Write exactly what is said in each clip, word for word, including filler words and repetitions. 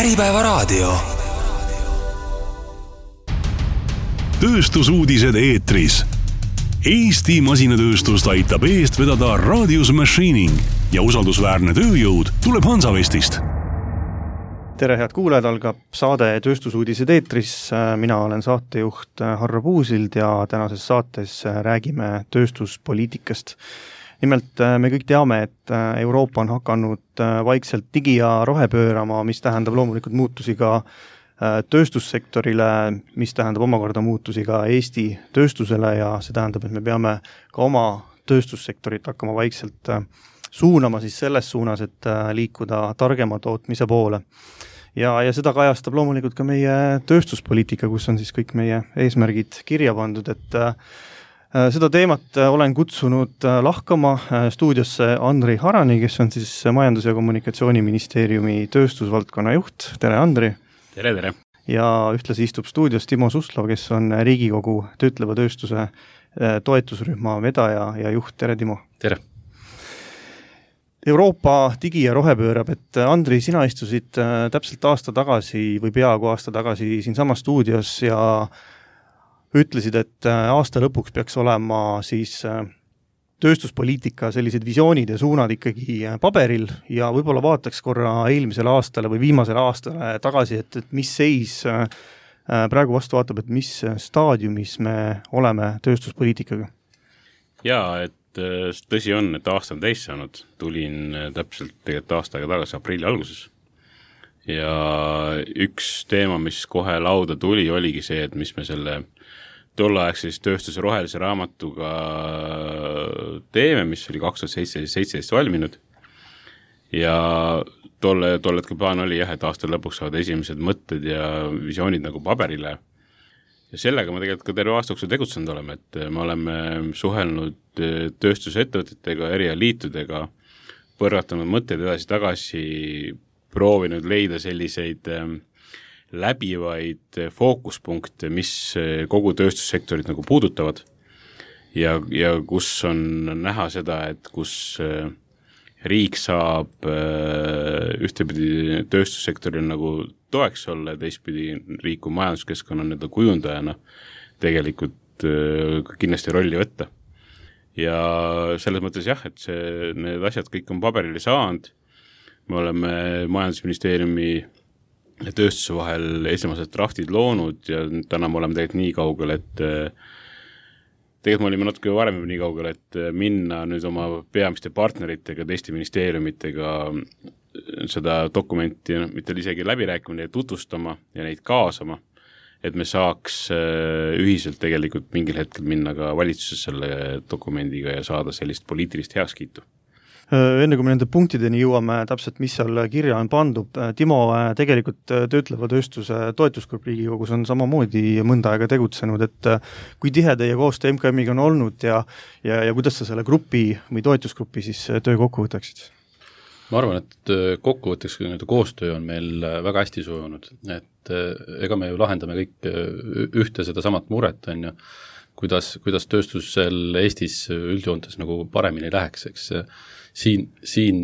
Äripäevaraadio. Tööstusuudised eetris. Eesti masinatööstust aitab eest vedada Radius Machining ja usaldusväärne tööjõud tuleb Hansavestist. Tere, head kuulajad, algab saade Tööstusuudised eetris. Mina olen saatejuht Harro Puusild ja tänases saates räägime tööstuspoliitikast. Nimelt me kõik teame, et Euroopa on hakanud vaikselt digi- ja rohepöörama, mis tähendab loomulikult muutusi ka tööstussektorile, mis tähendab omakorda muutusi ka Eesti tööstusele ja see tähendab, et me peame ka oma tööstussektorit hakkama vaikselt suunama siis selles suunas, et liikuda targema tootmise poole. Ja, ja seda kajastab loomulikult ka meie tööstuspoliitika, kus on siis kõik meie eesmärgid kirja pandud, et seda teemat olen kutsunud lahkama stuudiosse Andri Harani, kes on siis Majandus- ja Kommunikatsiooniministeeriumi tööstusvaldkonna juht. Tere, Andri! Tere, tere! Ja ühtlasi istub stuudios Timo Suslov, kes on Riigikogu töötleva tööstuse toetusrühma vedaja ja juht. Tere, Timo! Tere! Euroopa digi- ja rohepöörab, et Andri, sina istusid täpselt aasta tagasi või peaaegu aasta tagasi siin sama stuudios ja ütlesid, et aasta lõpuks peaks olema siis tööstuspoliitika sellised visioonid ja suunad ikkagi paberil ja võib-olla vaataks korra eelmisele aastale või viimasele aastale tagasi, et, et mis seis praegu vastu vaatab, et mis staadiumis me oleme tööstuspoliitikaga? Jaa, et tõsi on, et aasta on täis saanud. Tulin täpselt tegelikult aastaga tagasi aprilli alguses. Ja üks teema, mis kohe lauda tuli, oligi see, et mis me selle tolleaegse tööstuse rohelise raamatuga teeme, mis oli kaks tuhat seitseteist valminud. Ja tolle, tolle hetke plaan oli jah, et aasta lõpuks saavad esimesed mõtted ja visioonid nagu paberile. Ja sellega me tegelikult ka terve aastaksul tegutsenud oleme, et me oleme suhelnud tööstusettevõtetega, erialiitudega, põrgatanud mõtteid edasi tagasi, proovinud leida selliseid läbivaid fookuspunkte, mis kogu tööstussektorit nagu puudutavad ja, ja kus on näha seda, et kus riik saab ühtepidi tööstussektoril nagu toeks olla ja teistpidi riik kui majanduskeskkonna nii-öelda kujundajana tegelikult kindlasti rolli võtta. Ja selles mõttes jah, et see, need asjad kõik on paberile saanud. Me oleme Majandusministeeriumi ja tööstuse vahel esimesed draftid loonud ja täna me oleme tegelikult nii kaugel, et tegelikult me olime natuke varem nii kaugel, et minna nüüd oma peamiste partneritega, teiste ministeeriumitega seda dokumenti mitte isegi läbirääkimine tutvustama ja neid kaasama, et me saaks ühiselt tegelikult mingil hetkel minna ka valitsuses selle dokumendiga ja saada sellist poliitilist heakskiitu. Enne kui me nende punktideni jõuame täpselt, mis seal kirja on pandud, Timo, tegelikult töötleva tööstuse toetusgrupp Riigikogus on samamoodi mõnda aega tegutsenud, et kui tihe teie koostöö M K M-iga on olnud ja, ja, ja kuidas sa selle grupi või toetusgrupi siis töö kokku võtaksid? Ma arvan, et kokkuvõtteks koostöö on meil väga hästi sujunud, et ega me ju lahendame kõik ühte seda samat muret, on ju, kuidas, kuidas tööstusel Eestis üldjoontes nagu paremini läheks, eks siin, siin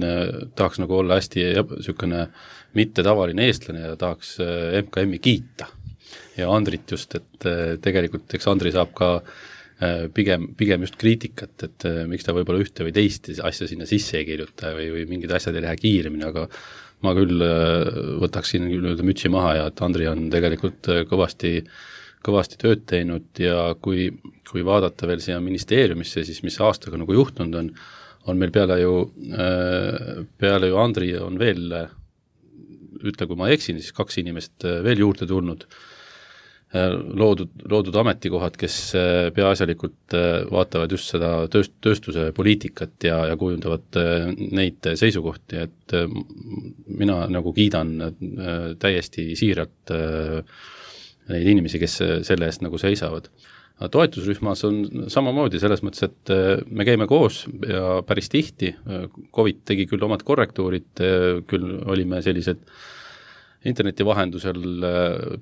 tahaks nagu olla hästi sükene mitte tavaline eestlane ja tahaks M K M-i kiita ja Andrit just, et tegelikult eks Andri saab ka Pigem, pigem just kriitikat, et miks ta võib-olla ühte või teist asja sinna sisse ei kirjuta või, või mingid asjad ei lähe kiiremini, aga ma küll võtaksin küll mütsi maha ja et Andri on tegelikult kõvasti, kõvasti tööd teinud ja kui, kui vaadata veel siia ministeeriumisse, siis mis aastaga nagu juhtunud on, on meil peale ju, peale ju Andri on veel, ütle kui ma eksin, siis kaks inimest veel juurde tulnud, loodud, loodud ametikohad, kes peaasjalikult vaatavad just seda tööst, tööstuse poliitikat ja, ja kujundavad neid seisukohti, et mina nagu kiidan täiesti siiralt neid inimesi, kes selle eest nagu seisavad. Toetusrühmas on samamoodi selles mõttes, et me käime koos ja päris tihti. Covid tegi küll omad korrektuurid, küll olime sellised interneti vahendusel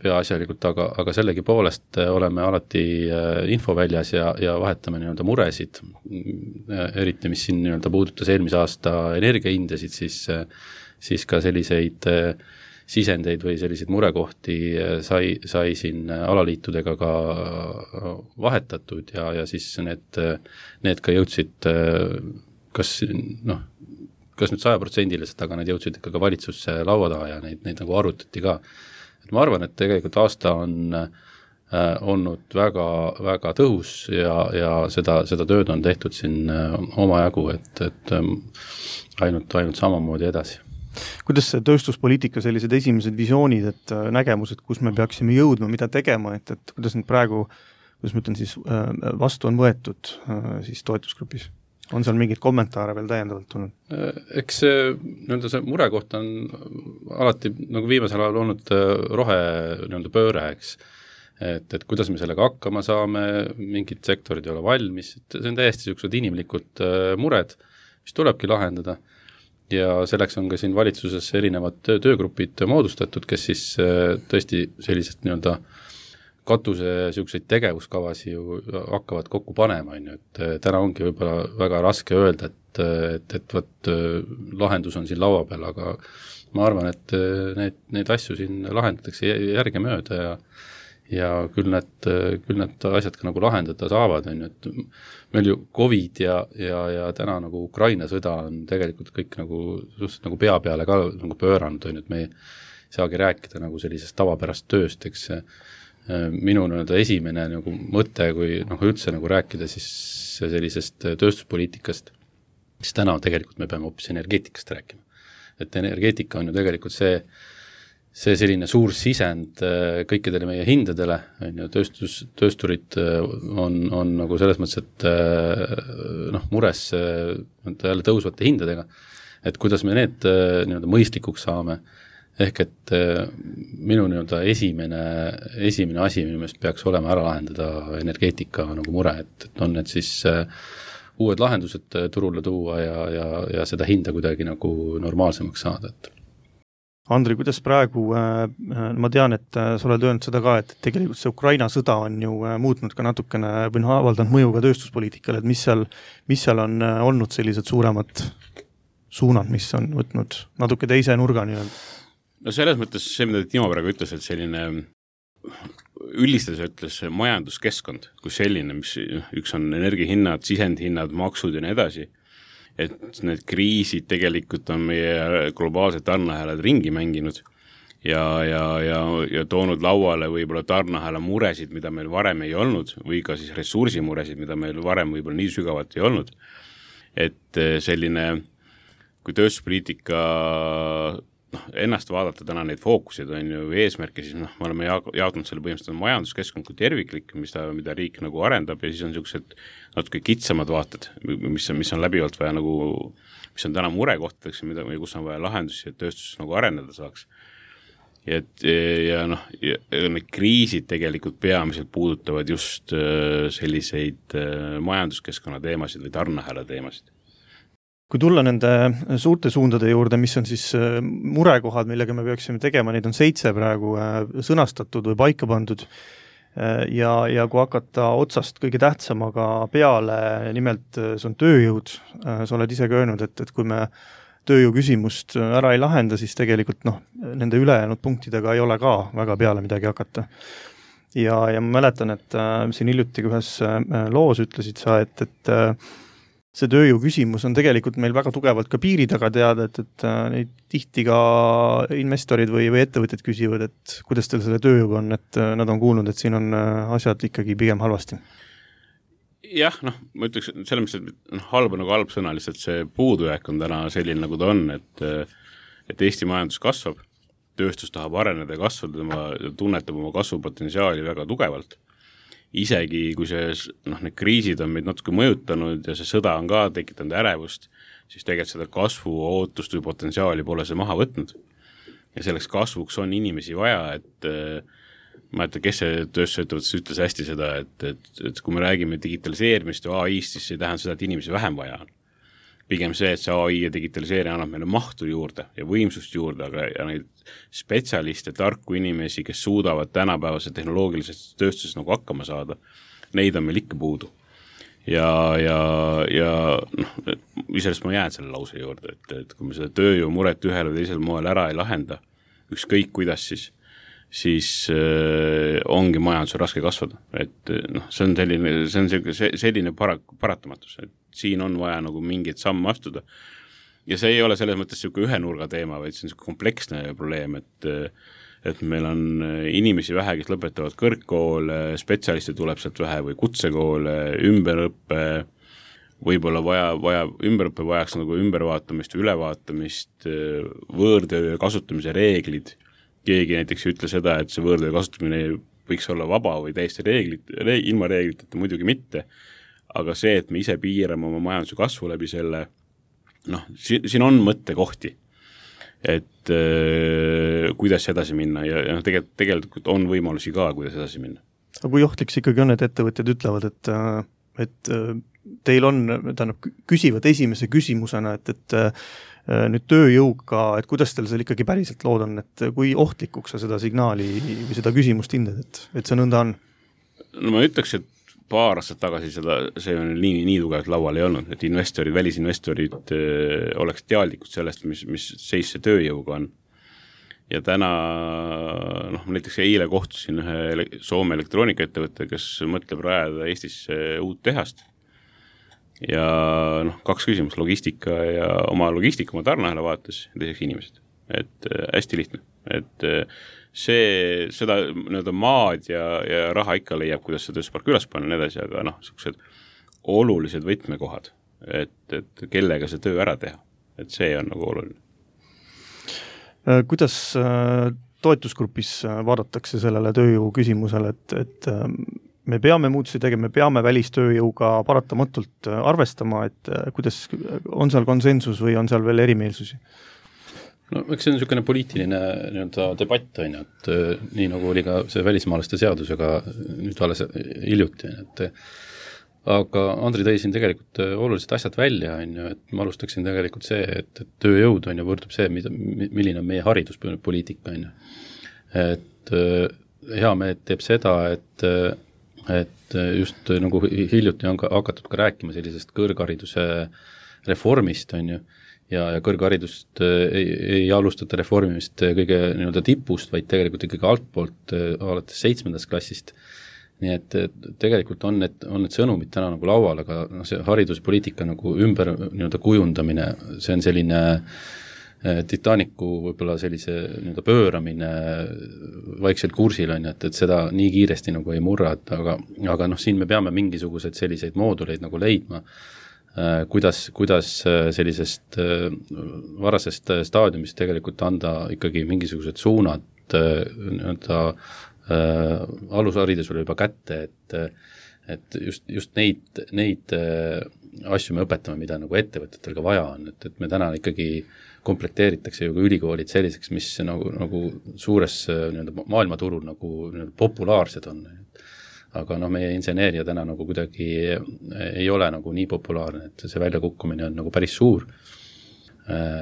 peaasjalikult, aga, aga sellegi poolest oleme alati infoväljas ja, ja vahetame nii-öelda muresid, eriti mis siin nii-öelda puudutas eelmise aasta energiahindasid, siis, siis ka selliseid sisendeid või selliseid murekohti sai, sai siin alaliitudega ka vahetatud ja, ja siis need, need ka jõudsid kas noh, kas nüüd sajaprotsendiliselt, aga need jõudsid ikka ka valitsusse laua taha ja neid, neid nagu arutati ka. Et ma arvan, et tegelikult aasta on äh, olnud väga, väga tõhus ja, ja seda, seda tööd on tehtud siin äh, omajagu, et, et ähm, ainult, ainult samamoodi edasi. Kuidas see tööstuspoliitika sellised esimesed visioonid, et äh, nägemused, kus me peaksime jõudma, mida tegema, et, et kuidas nüüd praegu, kuidas ma ütlen siis, äh, vastu on võetud äh, siis toetusgrupis? On seal mingid kommentaare veel täiendavalt tulnud? Eks see, nii-öelda see murekoht on alati nagu viimasel ajal olnud rohe nii-öelda pööre, eks. Et, et kuidas me sellega hakkama saame, mingid sektorid ei ole valmis, et see on täiesti sellised inimlikud mured, mis tulebki lahendada. Ja selleks on ka siin valitsuses erinevad töögrupid moodustatud, kes siis tõesti sellised nii-öelda katuse selliseid tegevuskavasi ju hakkavad kokku panema, on ju, et täna ongi võib-olla väga raske öelda, et, et, et võt, lahendus on siin laua peal, aga ma arvan, et need, need asju siin lahendatakse järgemööda ja, ja küll need, küll need asjad ka nagu lahendada saavad, on ju, et meil ju Covid ja, ja, ja täna nagu Ukraina sõda on tegelikult kõik nagu, suhteliselt nagu pea peale ka nagu pööranud, on ju, et me ei saagi rääkida nagu sellisest tavapärast tööst, eks minu nii-öelda esimene nagu mõte, kui noh, üldse nagu rääkida siis sellisest tööstuspoliitikast, siis täna tegelikult me peame hoopis energeetikast rääkima. Et energeetika on ju tegelikult see, see selline suur sisend kõikidele meie hindadele, on ju, tööstus, töösturid on, on nagu selles mõttes, et noh, mures jälle tõusvate hindadega, et kuidas me need nii-öelda mõistlikuks saame. Ehk et minu nii-öelda esimene, esimene asi minu meelest peaks olema ära lahendada energeetika nagu mure, et, et on need siis uued lahendused turule tuua ja, ja, ja seda hinda kuidagi nagu normaalsemaks saada. Et. Andri, kuidas praegu, ma tean, et sa oled öelnud seda ka, et tegelikult see Ukraina sõda on ju muutnud ka natukene või noh, avaldanud mõju ka tööstuspoliitikale, et mis seal, mis seal on olnud sellised suuremad suunad, mis on võtnud natuke teise nurga nii-öelda? No selles mõttes see, mida Timo praegu ütles, et selline üldistades ütles majanduskeskkond, kui selline, mis üks on energiahinnad, sisendhinnad, maksud ja nii edasi, et need kriisid tegelikult on meie globaalsed tarneahelad ringi mänginud ja, ja, ja, ja toonud lauale võib-olla tarneahela muresid, mida meil varem ei olnud, või ka siis ressursimuresid, mida meil varem võib-olla nii sügavalt ei olnud. Et selline, kui tööstuspoliitika noh, ennast vaadata täna neid fookuseid on ju eesmärke, siis noh, me oleme jaotanud selle põhimõtteliselt majanduskeskkond kui terviklik, mis ta, mida riik nagu arendab ja siis on niisugused natuke kitsamad vaated, mis on, mis on läbivalt vaja nagu, mis on täna murekohtadeks ja mida, kus on vaja lahendusi, et tööstus nagu areneda saaks. Ja, et, ja noh, ja need kriisid tegelikult peamiselt puudutavad just selliseid majanduskeskkonna teemasid või tarneahela teemasid. Kui tulla nende suurte suundade juurde, mis on siis murekohad, millega me peaksime tegema, neid on seitse praegu sõnastatud või paika pandud ja, ja kui hakata otsast kõige tähtsamaga peale, nimelt see on tööjõud, sa oled ise ka öelnud, et, et kui me tööjõu küsimust ära ei lahenda, siis tegelikult noh, nende ülejäänud punktidega ei ole ka väga peale midagi hakata. Ja, ja ma mäletan, et siin hiljuti ühes loos ütlesid sa, et, et see tööjõu küsimus on tegelikult meil väga tugevalt ka piiri taga teada, et, et neid tihti ka investorid või, või ettevõtted küsivad, et kuidas teil selle tööjõuga on, et nad on kuulnud, et siin on asjad ikkagi pigem halvasti. Jah, noh, ma ütleks, selles mõttes, et halb on nagu halb sõna, lihtsalt see puudujääk on täna selline, nagu ta on, et, et Eesti majandus kasvab, tööstus tahab areneda ja kasvada, tema tunnetab oma kasvupotentsiaali väga tugevalt. Isegi kui see, noh, need kriisid on meid natuke mõjutanud ja see sõda on ka tekitanud ärevust, siis tegelikult seda kasvu ootust või potentsiaali pole see maha võtnud. Ja selleks kasvuks on inimesi vaja, et ma ei tea, kes see tööstusettevõttes ütles hästi seda, et, et, et kui me räägime digitaliseerimist ja A I-st, siis see ei tähenda seda, et inimesi vähem vaja on. Pigem see, et see A I ja digitaliseerimine annab meile mahtu juurde ja võimsust juurde, aga ja neid spetsialiste, tarku inimesi, kes suudavad tänapäevase tehnoloogilises tööstuses nagu hakkama saada, neid on meil ikka puudu. Ja, ja, ja noh, isest ma jään selle lause juurde, et, et kui me seda tööjõu muret ühel või teisel moel ära ei lahenda, ükskõik kuidas siis, siis äh, ongi majandusel raske kasvada. Et noh, see on selline, see on selline, selline para, paratamatus, et siin on vaja nagu mingeid samme astuda. Ja see ei ole selles mõttes selline ühe nurga teema, vaid see on kompleksne probleem, et et meil on inimesi vähe, kes lõpetavad kõrgkoole, spetsialiste tuleb sealt vähe või kutsekoole, ümberõppe, võib-olla vaja, vaja, ümberõppe vajaks nagu ümbervaatamist, ülevaatamist, võõrtöö kasutamise reeglid. Keegi näiteks ei ütle seda, et see võõrtöö kasutamine võiks olla vaba või täiesti reeglid, reeg, ilma reegliteta muidugi mitte, aga see, et me ise piirame oma majanduse kasvu läbi selle, noh, siin, siin on mõttekohti, et äh, kuidas edasi minna ja, ja tegelikult, tegelikult on võimalusi ka, kuidas edasi minna. Aga kui ohtlik see ikkagi on, et ettevõtjad ütlevad, et, et teil on, tähendab, küsivad esimese küsimusena, et, et nüüd tööjõuga, et kuidas teil seal ikkagi päriselt lood on, et kui ohtlikuks sa seda signaali või seda küsimust hindad, et, et see nõnda on? No ma ütleks, et paar aastat tagasi seda, see on nii, nii tugevalt laual ei olnud, et investorid, välisinvestorid öö, oleks teadlikud sellest, mis, mis seis see tööjõuga on. Ja täna, noh, ma näiteks eile kohtusin ühe Soome elektroonikaettevõtte, kes mõtleb rajada Eestisse uut tehast. Ja noh, kaks küsimus, logistika ja oma logistika, oma tarneahela vaates ja teiseks inimesed. Et äh, hästi lihtne, et äh, see, seda nii-öelda maad ja, ja raha ikka leiab, kuidas see tööstuspark üles panna ja nii edasi, aga noh, sellised olulised võtmekohad, et, et kellega see töö ära teha, et see on nagu oluline. Kuidas toetusgrupis vaadatakse sellele tööjõu küsimusele, et, et me peame muutusi tegema, me peame välistööjõuga paratamatult arvestama, et kuidas on seal konsensus või on seal veel erimeelsusi? No eks see on niisugune poliitiline nii-öelda debatt, on ju, et nii nagu oli ka see välismaalaste seadusega nüüd alles hiljuti, et aga Andri tõi siin tegelikult olulised asjad välja, on ju, et ma alustaksin tegelikult see, et, et tööjõud on ju võrdub see, mida, milline on meie hariduspoliitika, on ju. Et hea meelt teeb seda, et, et just nagu hiljuti on ka hakatud ka rääkima sellisest kõrghariduse reformist, on ju, ja, ja kõrgharidust ei, ei alustata reformimist kõige nii-öelda tipust, vaid tegelikult ikkagi altpoolt alates seitsmendast klassist. Nii et tegelikult on need, on need sõnumid täna nagu laual, aga no, see hariduspoliitika nagu ümber nii-öelda kujundamine, see on selline Titanicu võib-olla sellise nii-öelda pööramine vaikselt kursil on, et, et seda nii kiiresti nagu ei murra, et aga, aga noh, siin me peame mingisugused selliseid mooduleid nagu leidma, kuidas, kuidas sellisest varasest staadiumist tegelikult anda ikkagi mingisugused suunad nii-öelda äh, alusharidusele juba kätte, et, et just, just neid, neid asju me õpetame, mida nagu ettevõtetel ka vaja on, et, et me täna ikkagi komplekteeritakse ju ka ülikoolid selliseks, mis nagu, nagu suures nii-öelda maailmaturul nagu nii-öelda populaarsed on. Aga noh, meie inseneeria täna nagu kuidagi ei ole nagu nii populaarne, et see väljakukkumine on nagu päris suur.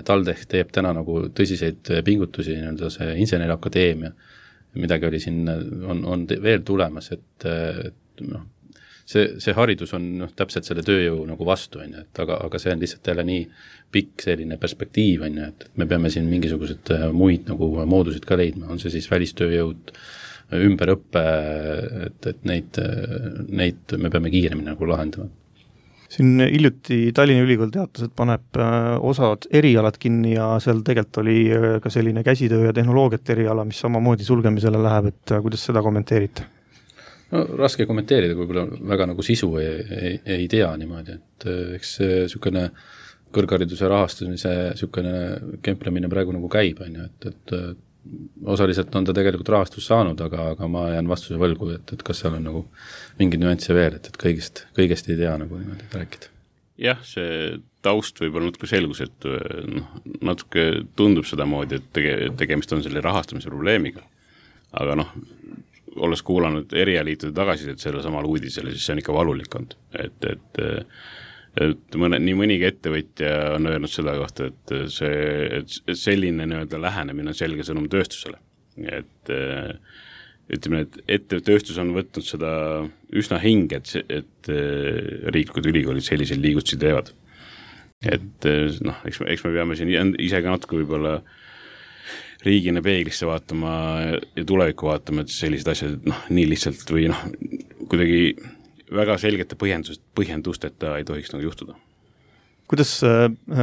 TalTech teeb täna nagu tõsiseid pingutusi, nii-öelda see inseneriakadeemia, midagi oli siin, on, on veel tulemas, et, et noh, see, see haridus on noh, täpselt selle tööjõu nagu vastu, on, et aga, aga see on lihtsalt jälle nii pikk selline perspektiiv, on, et me peame siin mingisugused muid nagu moodusid ka leidma, on see siis välistööjõud, ümberõppe, et, et neid, neid me peame kiiremini nagu lahendama. Siin hiljuti Tallinna Ülikool teatas, et paneb osad erialad kinni ja seal tegelikult oli ka selline käsitöö ja tehnoloogiat eriala, mis samamoodi sulgemisele läheb, et kuidas seda kommenteerite? No, raske kommenteerida, kui võib-olla väga nagu sisu ei, ei, ei tea niimoodi, et eks niisugune kõrghariduse rahastamise niisugune kemplemine praegu nagu käib, on ju, et, et osaliselt on ta tegelikult rahastus saanud, aga, aga ma jään vastuse võlgu, et, et kas seal on nagu mingi nüansse veel, et, et kõigest, kõigest ei tea nagu niimoodi rääkida. Jah, see taust võib-olla natuke selgus, et noh, natuke tundub seda moodi, et tege, tegemist on selle rahastamise probleemiga. Aga noh, olles kuulanud erialiitude tagasisid selle samal uudisele, siis see on ikka valulik olnud. Et, et, et mõne, nii mõnigi ettevõtja on öelnud seda kohta, et, see, et selline nii-öelda lähenemine on selge sõnum tööstusele. Et ütleme, et ette tööstus on võtnud seda üsna hinge, et, et riiklikud ülikoolid sellisel liigutusi teevad. Et noh, eks me, eks me peame siin ise ka natuke võib-olla riigina peeglisse vaatama ja tulevikku vaatama, et sellised asjad noh, nii lihtsalt või noh, kuidagi väga selgete põhjendust, põhjendusteta ei tohiks nagu juhtuda. Kuidas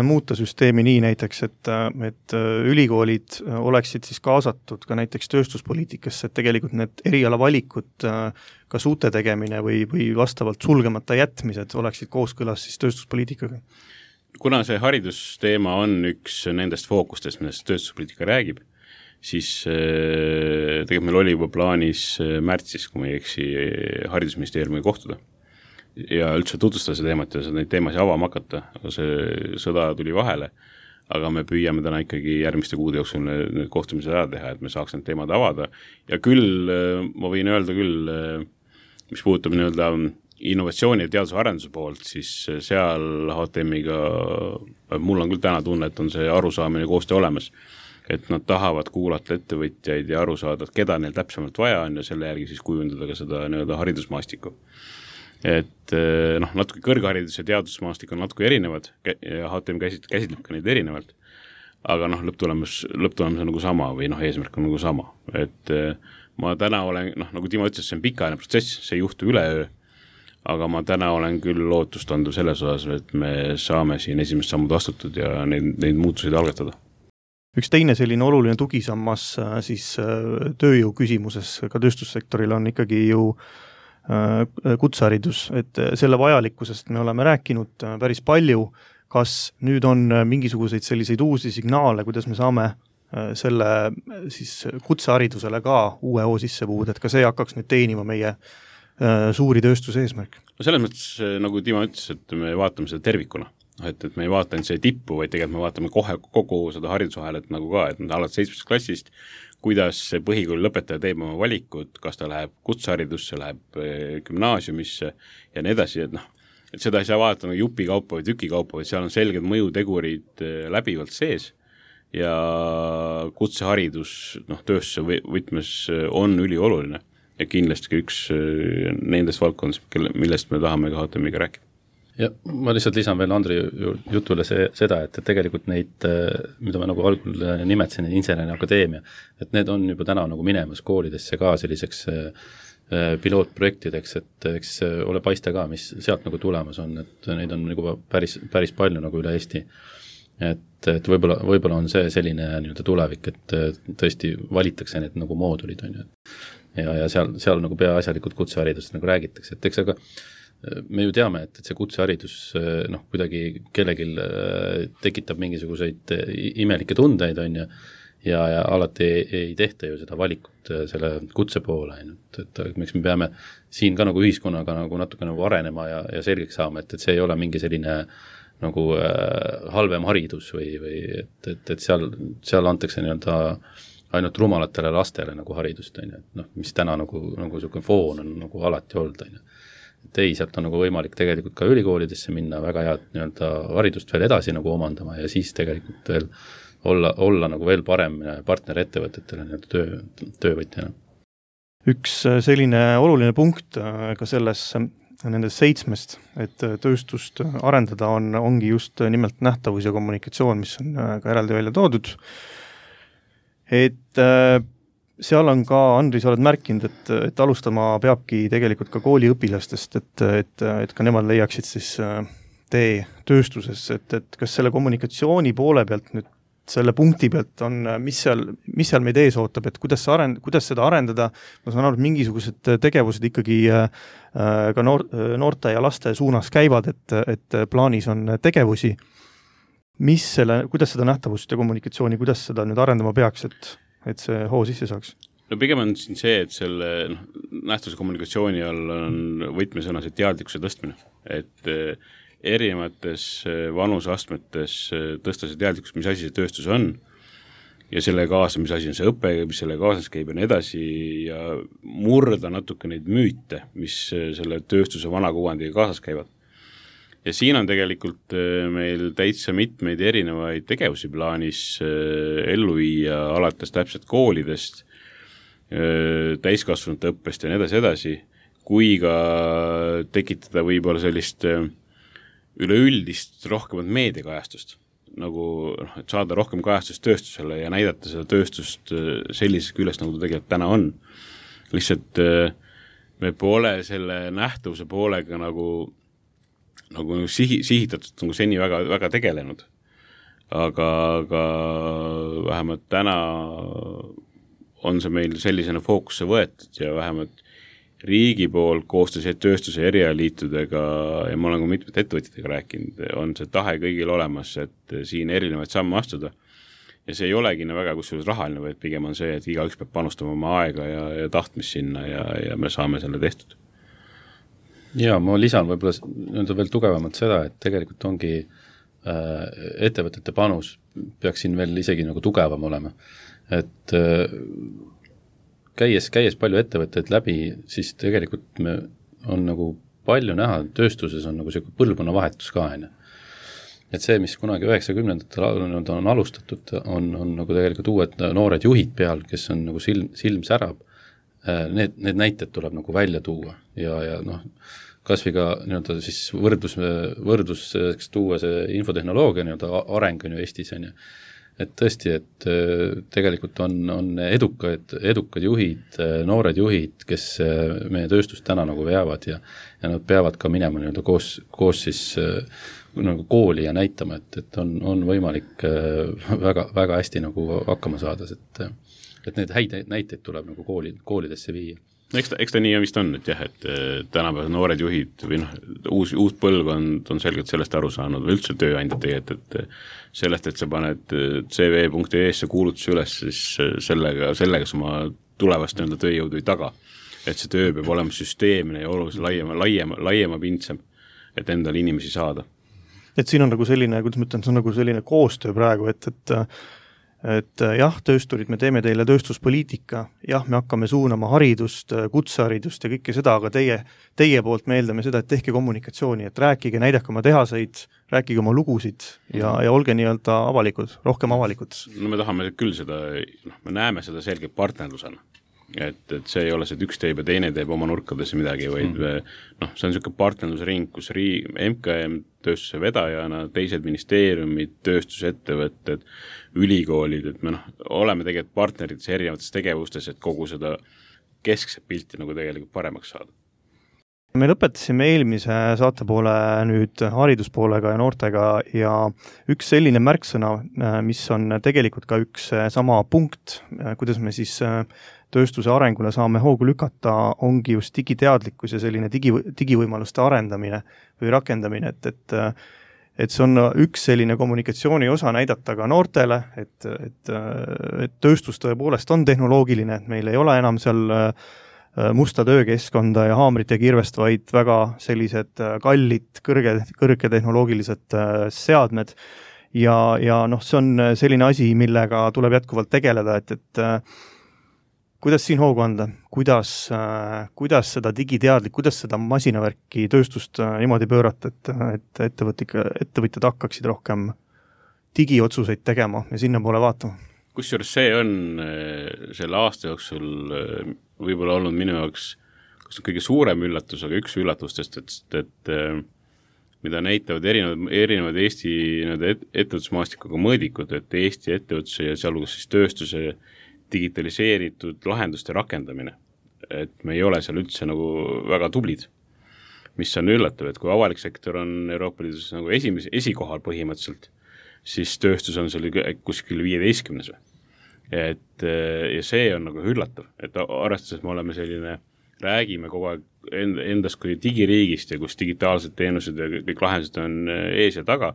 muuta süsteemi nii näiteks, et, et ülikoolid oleksid siis kaasatud ka näiteks tööstuspoliitikasse, et tegelikult need erialavalikud, kas uute tegemine või, või vastavalt sulgemata jätmised oleksid kooskõlas siis tööstuspoliitikaga? Kuna see haridusteema on üks nendest fookustest, millest tööstuspoliitika räägib, siis tegelikult meil oli juba plaanis märtsis, kui me ei eksi, haridusministeeriumiga kohtuda ja üldse tutvustada see teemat ja neid teemasid avama hakata, aga see sõda tuli vahele, aga me püüame täna ikkagi järgmiste kuude jooksul need kohtumised ära teha, et me saaks need teemad avada ja küll, ma võin öelda küll, mis puudutab nii-öelda innovatsiooni ja teaduse arenduse poolt, siis seal H T M-iga, mul on küll täna tunne, et on see arusaamine koostöö olemas, et nad tahavad kuulata ettevõtjaid ja aru saada, et keda neil täpsemalt vaja on ja selle järgi siis kujundada ka seda nii-öelda haridusmaastikku. Et noh, natuke kõrgharidus ja teadusmaastik on natuke erinevad ja H T M käsit, käsitleb ka neid erinevalt, aga noh, lõpptulemus, lõpptulemus on nagu sama või noh, eesmärk on nagu sama. Et ma täna olen, noh, nagu Timo ütles, see on pikaajaline protsess, see ei juhtu üleöö, aga ma täna olen küll lootustandu selles osas, et me saame siin esimest sammud astutud ja neid, neid muutuseid algatada. Üks teine selline oluline tugisammas siis tööjõu küsimuses ka tööstussektoril on ikkagi ju kutseharidus, et selle vajalikkusest me oleme rääkinud päris palju, kas nüüd on mingisuguseid selliseid uusi signaale, kuidas me saame selle siis kutseharidusele ka uue hoo sisse puuda, et ka see hakkaks nüüd teenima meie suuri tööstuse eesmärk? No selles mõttes, nagu Timo ütles, et me vaatame seda tervikuna, et, et me ei vaata ainult see tippu, vaid tegelikult me vaatame kohe kogu seda haridusahelat nagu ka, et alates seitsmest klassist, kuidas see põhikooli lõpetaja teeb oma valikud, kas ta läheb kutseharidusse, läheb gümnaasiumisse ja nii edasi, et noh, et seda ei saa vaadata nagu jupi kaupa või tüki kaupa, vaid seal on selged mõjutegurid läbivalt sees ja kutseharidus noh, tööstuse võtmes on ülioluline ja kindlasti üks nendest valdkondest, millest me tahame ka H T M-iga rääkida. Ja ma lihtsalt lisan veel Andri jutule see, seda, et tegelikult neid, mida ma nagu algul nimetasin, inseneriakadeemia, et need on juba täna nagu minemas koolidesse ka selliseks pilootprojektideks, et eks ole paiste ka, mis sealt nagu tulemas on, et neid on nagu päris, päris palju nagu üle Eesti. Et, et võib-olla, võib-olla on see selline nii-öelda tulevik, et tõesti valitakse need nagu moodulid, on ju. Ja, ja seal, seal nagu peaasjalikud kutseharidust nagu räägitakse, et eks aga me ju teame, et, et see kutseharidus noh, kuidagi kellelgi tekitab mingisuguseid imelikke tundeid, on ju, ja, ja alati ei, ei tehta ju seda valikut selle kutse poole, et, et, et miks me peame siin ka nagu ühiskonnaga nagu natuke nagu arenema ja, ja selgeks saama, et, et see ei ole mingi selline nagu äh, halvem haridus või, või et, et, et seal, seal antakse nii-öelda ainult rumalatele lastele nagu haridust, on ju, et noh, mis täna nagu, nagu selline foon on nagu alati olnud, on ju. Et ei, sealt on nagu võimalik tegelikult ka ülikoolidesse minna väga head nii-öelda haridust veel edasi nagu omandama ja siis tegelikult veel olla, olla nagu veel parem partner ettevõtetele nii-öelda töö, töövõtjana. Üks selline oluline punkt ka selles nendest seitsmest, et tööstust arendada on, ongi just nimelt nähtavus ja kommunikatsioon, mis on ka eraldi välja toodud. Et seal on ka, Andri, sa oled märkinud, et, et alustama peabki tegelikult ka kooliõpilastest, et, et, et ka nemad leiaksid siis tee tööstusesse, et, et kas selle kommunikatsiooni poole pealt nüüd selle punkti pealt on, mis seal, mis seal meid ees ootab, et kuidas, arend, kuidas seda arendada, ma saan aru, et mingisugused tegevused ikkagi ka noor, noorte ja laste suunas käivad, et, et plaanis on tegevusi. Mis selle, kuidas seda nähtavust ja kommunikatsiooni, kuidas seda nüüd arendama peaks, et, et see hoo sisse saaks? No pigem on siin see, et selle noh, nähtavuse kommunikatsiooni all on võtmesõna see teadlikkuse tõstmine, et erinevates vanusastmetes tõsta see teadlikkus, mis asi see tööstus on ja selle kaasa, mis asi on see õpe, mis selle kaasas käib ja nii edasi ja murda natuke neid müüte, mis selle tööstuse vanakuvandiga kaasas käivad. Ja siin on tegelikult meil täitsa mitmeid erinevaid tegevusi plaanis ellu viia alates täpselt koolidest, täiskasvanute õppest ja nii edasi edasi, kui ka tekitada võib-olla sellist üleüldist rohkemat meediakajastust. nagu, noh, et saada rohkem kajastust tööstusele ja näidata seda tööstust sellises küljest, nagu ta tegelikult täna on. Lihtsalt me pole selle nähtavuse poolega nagu, nagu sihi, sihitatud nagu seni väga, väga tegelenud. Aga, aga vähemalt täna on see meil sellisena fookusse võetud ja vähemalt riigi poolt koostöös tööstuse erialaliitudega ja ma olen ka mitmed ettevõtjatega rääkinud, on see tahe kõigil olemas, et siin erinevaid samme astuda. Ja see ei olegi väga kusjuures rahaline, vaid pigem on see, et igaüks peab panustama oma aega ja, ja tahtmist sinna ja, ja me saame selle tehtud. Ja ma lisan võib-olla veel tugevamalt seda, et tegelikult ongi äh, ettevõtete panus peaks siin veel isegi nagu tugevam olema. Et äh, Käies, käies palju ettevõtteid läbi, siis tegelikult me on nagu palju näha, tööstuses on nagu selline põlvkonna vahetus ka. Enne. Et see, mis kunagi üheksakümnendatel on alustatud, on, on nagu tegelikult uued noored juhid peal, kes on nagu silm, silm särab. Need, need näited tuleb nagu välja tuua ja, ja noh, kas või ka nii-öelda siis võrdlus, võrdluseks tuua see infotehnoloogia nii-öelda areng on ju Eestis on ju. Et tõesti, et tegelikult on, on edukad, edukad juhid, noored juhid, kes meie tööstust täna nagu veavad ja, ja nad peavad ka minema nii-öelda koos, koos siis nagu kooli ja näitama, et, et on, on võimalik väga, väga hästi nagu hakkama saada, et, et need häid näiteid tuleb nagu kooli, koolidesse viia. Eks ta, eks ta nii vist on, et jah, et tänapäeval noored juhid või noh, uus, uus põlvkond on selgelt sellest aru saanud või üldse tööandjad tegelikult, et sellest, et sa paned C V punkt E S-e kuulutusi üles, siis sellega, sellega sa oma tulevast nii-öelda tööjõudu ei taga. Et see töö peab olema süsteemne ja oluliselt laiema, laiema, laiema pindsem, et endale inimesi saada. Et siin on nagu selline, kuidas ma ütlen, see on nagu selline koostöö praegu, et, et et jah, töösturid, me teeme teile tööstuspoliitika, jah, me hakkame suunama haridust, kutseharidust ja kõike seda, aga teie, teie poolt me eeldame seda, et tehke kommunikatsiooni, et rääkige, näidake oma tehaseid, rääkige oma lugusid ja, ja olge nii-öelda avalikud, rohkem avalikud. No me tahame küll seda, noh, me näeme seda selgelt partnerlusena. Et, et see ei ole see, et üks teeb ja teine teeb oma nurkadesse midagi, vaid mm. noh, see on selline partnerlusring, kus riik, M K M tööstuse vedajana, teised ministeeriumid, tööstusettevõtted, ülikoolid, et me noh, oleme tegelikult partnerites erinevates tegevustes, et kogu seda keskset pilti nagu tegelikult paremaks saada. Me lõpetasime eelmise saatepoole nüüd hariduspoolega ja noortega ja üks selline märksõna, mis on tegelikult ka üks sama punkt, kuidas me siis tööstuse arengule saame hoogu lükata, ongi just digiteadlikkus ja selline digi, digivõimaluste arendamine või rakendamine, et, et, et see on üks selline kommunikatsiooni osa näidata ka noortele, et, et, et tööstus tõepoolest on tehnoloogiline, et meil ei ole enam seal musta töökeskkonda ja haamrit ja kirvest, vaid väga sellised kallid, kõrge, kõrge tehnoloogilised seadmed ja, ja noh, see on selline asi, millega tuleb jätkuvalt tegeleda, et, et kuidas siin hoogu anda, kuidas, kuidas seda digiteadlik, kuidas seda masinavärki tööstust niimoodi pöörata, et, et ettevõtjad hakkaksid rohkem digiotsuseid tegema ja sinna poole vaatama? Kusjuures see on selle aasta jooksul võib-olla olnud minu jaoks kõige suurem üllatus, aga üks üllatustest, et, et mida näitavad erinevad, erinevad Eesti ettevõtlusmaastikuga mõõdikud, et Eesti ettevõtluse ja sealhulgas siis tööstuse digitaliseeritud lahenduste rakendamine. Et me ei ole seal üldse nagu väga tublid, mis on üllatav, et kui avalik sektor on Euroopa Liidus nagu esimes, esikohal põhimõtteliselt, siis tööstus on seal kuskil viieteistkümnes või. Et, ja see on nagu üllatav, et arvestades me oleme selline, räägime kogu aeg endast kui digiriigist ja kus digitaalsed teenused ja kõik lahendused on ees ja taga,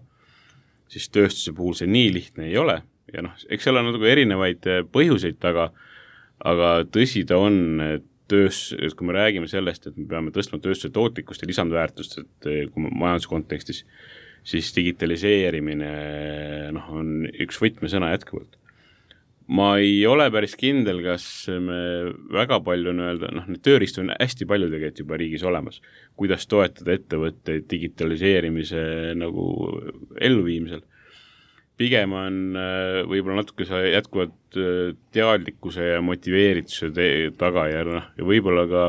siis tööstuse puhul see nii lihtne ei ole. Ja noh, eks seal on nagu erinevaid põhjuseid taga, aga tõsi ta on, et töös, et kui me räägime sellest, et me peame tõstma tööstuse tootlikkust ja lisandväärtust, et kui majanduskontekstis, siis digitaliseerimine noh, on üks võtmesõna jätkuvalt. Ma ei ole päris kindel, kas me väga palju öelda, noh, need tööriistu on hästi palju tegelikult juba riigis olemas, kuidas toetada ettevõtteid digitaliseerimise nagu elluviimisel. Pigem on võib-olla natuke jätkuvad teadlikkuse ja motiveerituse te- taga ja, noh, ja võib-olla ka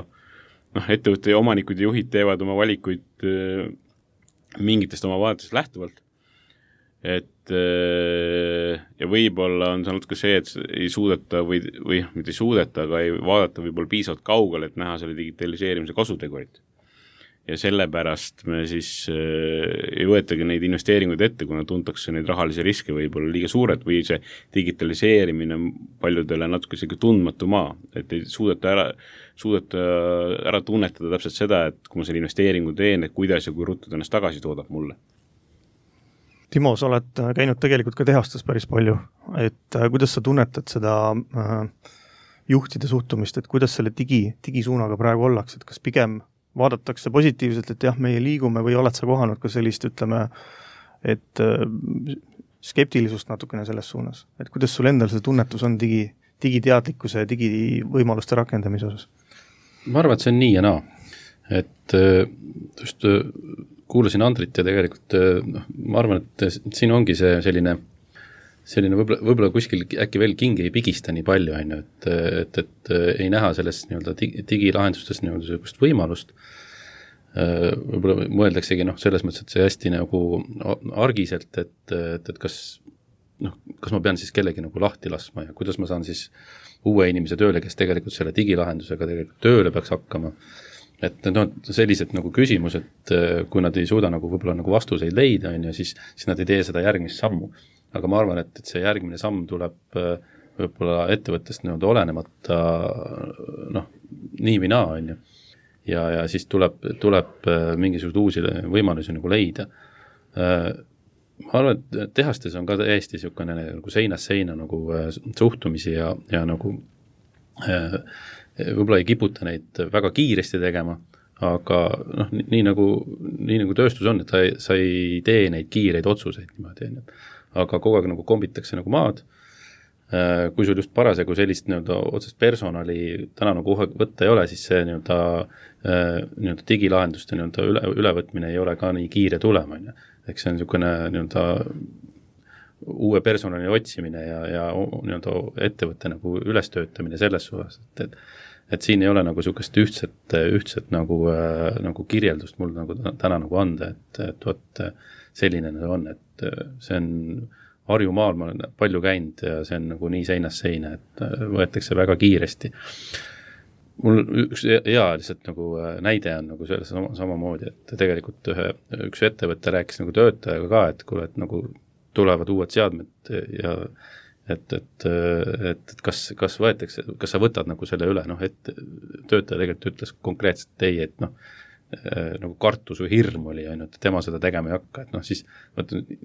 noh, ettevõtte omanikud ja juhid teevad oma valikuid mingitest oma vaadetest lähtuvalt. et ja võib-olla on saanud ka see, et ei suudeta või, või mitte ei suudeta, aga ei vaadata võib-olla piisavalt kaugele, et näha selle digitaliseerimise kasutegurit. Ja sellepärast me siis ei võetagi neid investeeringuid ette, kuna tuntakse neid rahalisi riske võib-olla liiga suured või see digitaliseerimine on paljudele natuke selline tundmatu maa, et ei suudeta ära, suudeta ära tunnetada täpselt seda, et kui ma selle investeeringu teen, et kuidas ja kui ruttu ennast tagasi toodab mulle. Timo, sa oled käinud tegelikult ka tehastes päris palju, et kuidas sa tunnetad seda juhtide suhtumist, et kuidas selle digi, digisuunaga praegu ollakse, et kas pigem vaadatakse positiivselt, et jah, meie liigume või oled sa kohanud ka sellist, ütleme, et skeptilisust natukene selles suunas, et kuidas sul endal see tunnetus on digi, digiteadlikkuse ja digivõimaluste rakendamise osas? Ma arvan, et see on nii ja naa, et just kuulasin Andrit ja tegelikult noh, ma arvan, et siin ongi see selline selline võib-olla, võib-olla kuskil äkki veel king ei pigista nii palju, on ju, et, et, et ei näha sellest nii-öelda digilahendustes nii-öelda sellist võimalust. Võib-olla mõeldaksegi noh, selles mõttes, et see hästi nagu argiselt, et, et, et kas, noh, kas ma pean siis kellegi nagu lahti laskma ja kuidas ma saan siis uue inimese tööle, kes tegelikult selle digilahendusega tegelikult tööle peaks hakkama. Et no, sellised nagu küsimused, kui nad ei suuda nagu võib-olla nagu vastuseid leida, on ju, siis, siis nad ei tee seda järgmist sammu. Aga ma arvan, et, et see järgmine samm tuleb võib-olla ettevõttest nii-öelda olenemata noh, nii või naa, on ju. Ja, ja siis tuleb, tuleb mingisugused uusi võimalusi nagu leida. Ma arvan, et tehastes on ka täiesti niisugune nagu seinast seina nagu suhtumisi ja, ja nagu võib-olla ei kiputa neid väga kiiresti tegema, aga noh, nii nagu, nii nagu tööstus on, et sa ei, sa ei tee neid kiireid otsuseid niimoodi, on ju. Aga kogu aeg nagu kombitakse nagu maad, kui sul just parasjagu sellist nii-öelda otsest personali täna nagu võtta ei ole, siis see nii-öelda, nii-öelda digilahenduste nii-öelda üle, ülevõtmine ei ole ka nii kiire tulema, on ju. Eks see on niisugune nii-öelda uue personali otsimine ja, ja nii-öelda ettevõtte nagu ülestöötamine selles suhtes, et, et, et siin ei ole nagu niisugust ühtset, ühtset nagu, nagu kirjeldust mul nagu täna nagu anda, et, et võt, selline on, et see on Harju maal, ma olen palju käinud ja see on nagu nii seinast seina, et võetakse väga kiiresti. Mul üks hea lihtsalt nagu näide on nagu selles sama, samamoodi, et tegelikult ühe, üks ettevõte rääkis nagu töötajaga ka, et kuule, et nagu tulevad uued seadmed ja et, et, et, et kas, kas võetakse, kas sa võtad nagu selle üle, noh, et töötaja tegelikult ütles konkreetselt ei, et noh, nagu kartus või hirm oli, on ju, et tema seda tegema ei hakka, et noh, siis,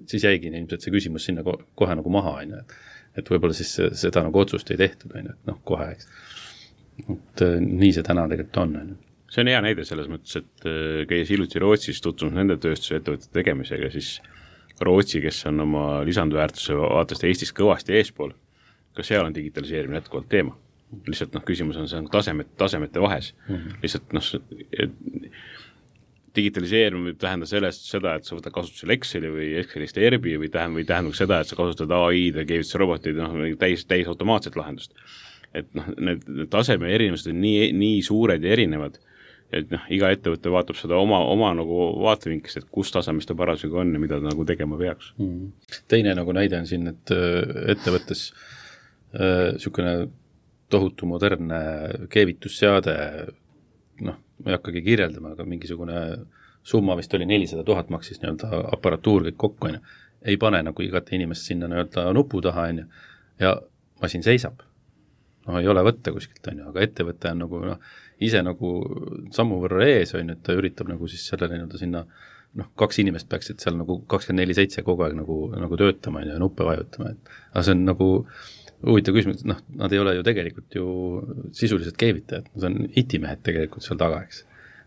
siis jäigi ilmselt see küsimus sinna kohe nagu maha, on ju, et, et võib-olla siis seda nagu otsust ei tehtud, on ju, et noh, kohe, eks. Et nii see täna tegelikult on, on ju. See on hea näide selles mõttes, et käis hiljuti Rootsis tutvunud nende tööstuse ettevõtete tegemisega, siis Rootsi, kes on oma lisandväärtuse vaatast Eestis kõvasti eespool, ka seal on digitaliseerimine jätkuvalt teema. Lihtsalt noh, küsimus on see on tasemet, tasemete vahes. Mm-hmm. Lihtsalt noh, digitaliseerimine võib tähendada sellest seda, et sa võtad kasutusel Exceli või Excelist Erbi või tähendab, või tähendab seda, et sa kasutad A I-d ja keevituse robotid noh, täis, täis automaatset lahendust. Et noh, need taseme erinevused on nii, nii suured ja erinevad, et noh, iga ettevõte vaatab seda oma, oma nagu vaatevinkist, et kus tasemest ta parasjagu on ja mida ta nagu tegema peaks. Mm-hmm. Teine nagu näide on siin, et ettevõttes niisugune äh, tohutu modernne keevitusseade, noh, ma ei hakkagi kirjeldama, aga mingisugune summa vist oli nelisada tuhat maksis nii-öelda aparatuur kõik kokku, on ju. Ei pane nagu igat inimest sinna nii-öelda nupu taha, on ju, ja masin seisab. No ei ole võtta kuskilt, on ju, aga ettevõte on nagu, noh, ise nagu sammu võrra ees, on ju, et ta üritab nagu siis sellele nii-öelda sinna, noh, kaks inimest peaksid seal nagu kakskümmend neli seitse kogu aeg nagu, nagu töötama, on ju, ja nuppe vajutama, et aga see on nagu huvitav küsimus, et noh, nad ei ole ju tegelikult ju sisuliselt keevitajad, nad on itimehed tegelikult seal taga, eks.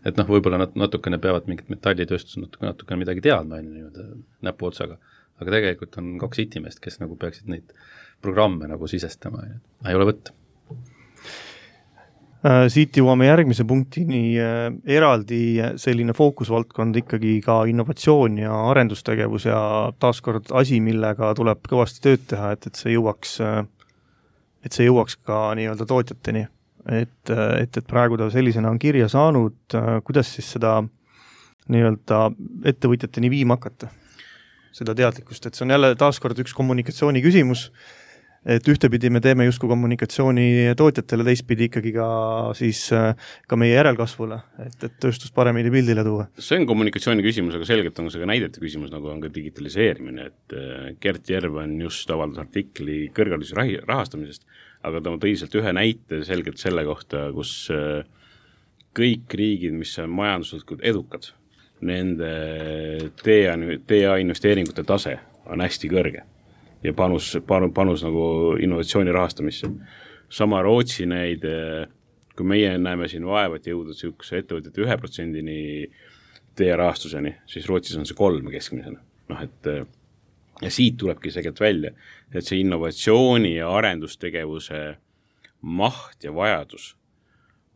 Et noh, võib-olla nad natukene peavad mingit metallitööstus natukene, natukene midagi teadma, nii-öelda näpu otsaga, aga tegelikult on kaks itimeest, kes nagu peaksid neid programme nagu sisestama, ei ole võtta. Siit jõuame järgmise punktini, eraldi selline fookusvaldkond ikkagi ka innovatsioon ja arendustegevus ja taaskord asi, millega tuleb kõvasti tööd teha, et, et see jõuaks, et see jõuaks ka nii-öelda tootjateni. Et, et, et praegu ta sellisena on kirja saanud, kuidas siis seda nii-öelda ettevõtjateni viima hakata? seda teadlikkust, et see on jälle taaskord üks kommunikatsiooni küsimus, et ühtepidi me teeme justkui kommunikatsiooni tootjatele, teistpidi ikkagi ka, siis, ka meie järelkasvule, et, et tööstust paremini pildile tuua. See on kommunikatsiooni küsimus, aga selgelt on see ka näidete küsimus, nagu on ka digitaliseerimine, et Gert Järv on just avaldas artikli kõrghariduse rahastamisest, aga ta tõiselt ühe näite selgelt selle kohta, kus kõik riigid, mis on majanduslikult edukad, nende T A investeeringute tase on hästi kõrge ja panus, panus, panus nagu innovatsiooni rahastamisse. Sama Rootsi näide, kui meie näeme siin vaevat jõuda sihukese ettevõtete ühe protsendini T A rahastuseni, siis Rootsis on see kolm keskmisena. Noh, et ja siit tulebki segelt välja, et see innovatsiooni ja arendustegevuse maht ja vajadus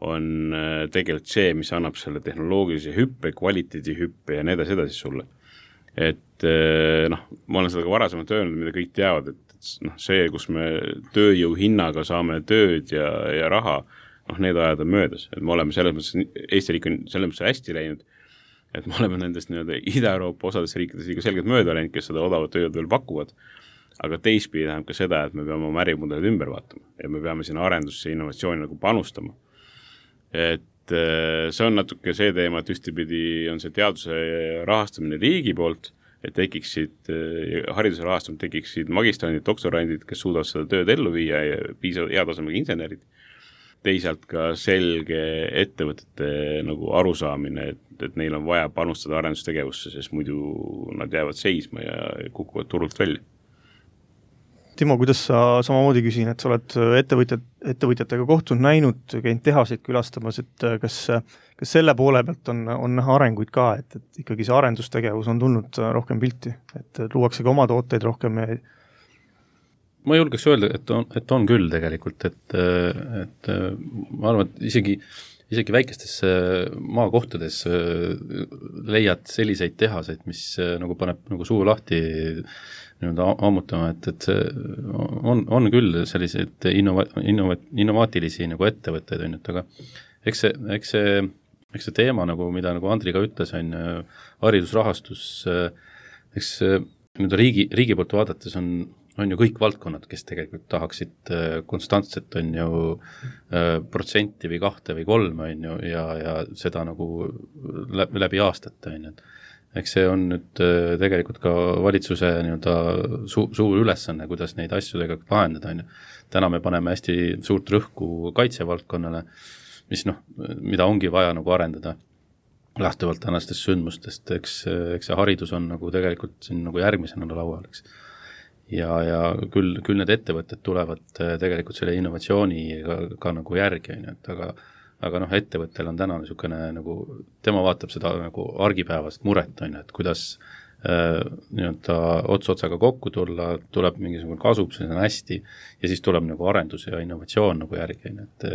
on tegelikult see, mis annab selle tehnoloogilise hüppe, kvaliteedi hüppe ja nii edasi edasi sulle. Et noh, ma olen seda ka varasemalt öelnud, mida kõik teavad, et noh, see, kus me tööjõu hinnaga saame tööd ja, ja raha, noh, need ajad on möödas. Et me oleme selles mõttes, Eesti riik on selles mõttes hästi läinud, et me oleme nendest nii-öelda Ida-Euroopa osades riikides liiga selgelt mööda läinud, kes seda odavat tööd veel pakuvad, aga teistpidi tähendab ka seda, et me peame oma ärimudelid ümber vaatama ja me peame sinna arendusse ja innovatsiooni nagu panustama. Et see on natuke see teema, et ühtepidi on see teaduse rahastamine riigi poolt, et tekiksid, hariduse rahastamine tekiksid magistrandid, doktorandid, kes suudavad seda tööd ellu viia ja piisavad heatasemega insenerid. Teisalt ka selge ettevõtete nagu arusaamine, et, et neil on vaja panustada arendustegevusse, sest muidu nad jäävad seisma ja kukuvad turult välja. Timo, kuidas sa samamoodi küsin, et sa oled ettevõtjad, ettevõtjatega kohtunud, näinud, käinud tehaseid külastamas, et kas, kas selle poole pealt on, on näha arenguid ka, et, et ikkagi see arendustegevus on tulnud rohkem pilti, et luuakse ka oma tooteid rohkem? Ja... Ma julgeks öelda, et on, et on küll tegelikult, et, et ma arvan, et isegi, isegi väikestes maakohtades leiad selliseid tehaseid, mis nagu paneb nagu suu lahti ammutama, et, et see on, on küll selliseid innova, innova, innovaatilisi nagu ettevõtteid, on, et aga eks see, eks see, eks see teema, nagu, mida nagu Andri ka ütles, on haridusrahastus, eks nüüd riigi, riigi poolt vaadates on, on ju kõik valdkonnad, kes tegelikult tahaksid konstantselt on ju protsenti või kahte või kolme on ju, ja, ja seda nagu läbi, läbi aastate on ju, et eks see on nüüd tegelikult ka valitsuse nii-öelda su- suur ülesanne, kuidas neid asju tegelikult lahendada. On ju. Täna me paneme hästi suurt rõhku kaitsevaldkonnale, mis noh, mida ongi vaja nagu arendada lähtuvalt tänastest sündmustest. Eks, eks see haridus on nagu tegelikult siin nagu järgmisena laual. Eks. Ja, ja küll, küll need ettevõtted tulevad tegelikult selle innovatsiooni ka, ka nagu järgi, on ju, et aga aga noh, ettevõttel on täna niisugune nagu, tema vaatab seda nagu argipäevast muret, on, et kuidas äh, nii-öelda ots-otsaga kokku tulla, tuleb mingisugune kasub, see on hästi, ja siis tuleb nagu arendus ja innovatsioon nagu järgi, et,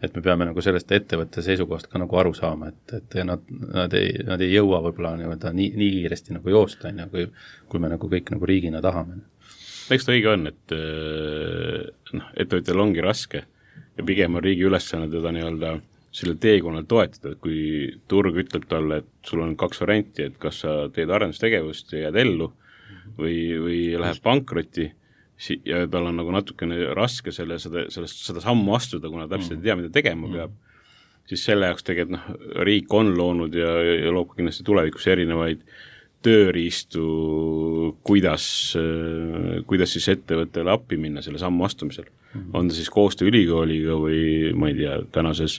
et me peame nagu sellest ettevõtte seisukohast ka nagu aru saama, et, et nad, nad, ei, nad ei jõua võib-olla nii-öelda nii, nii kiiresti nagu joosta, on, kui, kui me nagu kõik nagu riigina tahame. Eks ta õige on, et noh, ettevõtjal ongi raske, ja pigem on riigi ülesanne teda nii-öelda selle teekonnal toetada, et kui turg ütleb talle, et sul on kaks varianti, et kas sa teed arendustegevust ja jääd ellu või, või läheb pankrotti ja tal on nagu natukene raske selle, seda, sellest, seda sammu astuda, kuna täpselt ei tea, mida tegema peab, siis selle jaoks tegelikult noh, riik on loonud ja, ja loob kindlasti tulevikus erinevaid tööriistu, kuidas, kuidas siis ettevõttele appi minna selle sammu astumisel. On ta siis koostöö ülikooliga või ma ei tea, tänases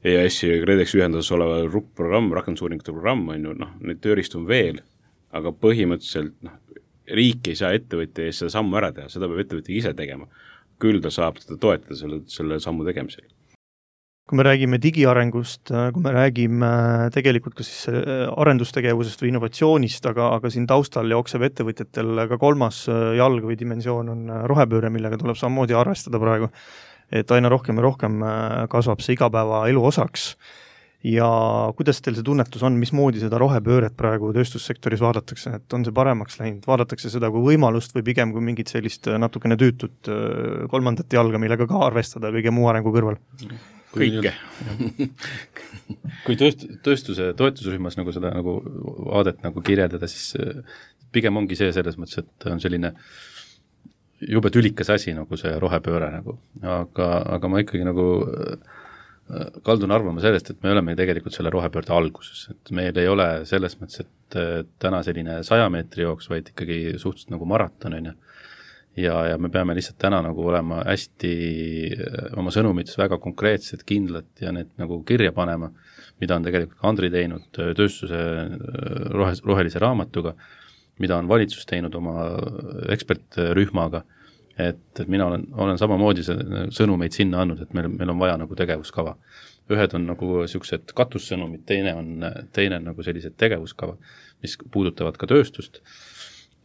E A S-i ja KredEx ühenduses oleva R U P-programm, rakendusuuringute programm on ju, noh, need tööriist on veel, aga põhimõtteliselt noh, riik ei saa ettevõtja ees seda sammu ära teha, seda peab ettevõtja ise tegema. Küll ta saab seda toetada selle, selle sammu tegemisel. Kui me räägime digiarengust, kui me räägime tegelikult ka siis arendustegevusest või innovatsioonist, aga, aga siin taustal jookseb ettevõtjatel ka kolmas jalg või dimensioon on rohepööre, millega tuleb samamoodi arvestada praegu, et aina rohkem ja rohkem kasvab see igapäeva elu osaks. Ja kuidas teil see tunnetus on, mismoodi seda rohepööret praegu tööstussektoris vaadatakse, et on see paremaks läinud, vaadatakse seda kui võimalust või pigem kui mingit sellist natukene tüütut kolmandat jalga, millega ka arvestada kõige muu arengu kõrval? Kõike. Kui tööst, tööstuse toetusrühmas nagu seda nagu vaadet nagu kirjeldada, siis pigem ongi see selles mõttes, et on selline jube tülikas asi nagu see rohepööre nagu, aga, aga ma ikkagi nagu kaldun arvama sellest, et me oleme tegelikult selle rohepöörde alguses, et meil ei ole selles mõttes, et täna selline saja meetri jooks, vaid ikkagi suhteliselt nagu maraton on ju. Ja, ja me peame lihtsalt täna nagu olema hästi oma sõnumites väga konkreetsed, kindlad ja need nagu kirja panema, mida on tegelikult Andri teinud tööstuse rohe, rohelise raamatuga, mida on valitsus teinud oma ekspertrühmaga, et, et mina olen, olen samamoodi sõnumeid sinna andnud, et meil, meil on vaja nagu tegevuskava. Ühed on nagu sellised katussõnumid, teine on, teine on nagu sellised tegevuskava, mis puudutavad ka tööstust,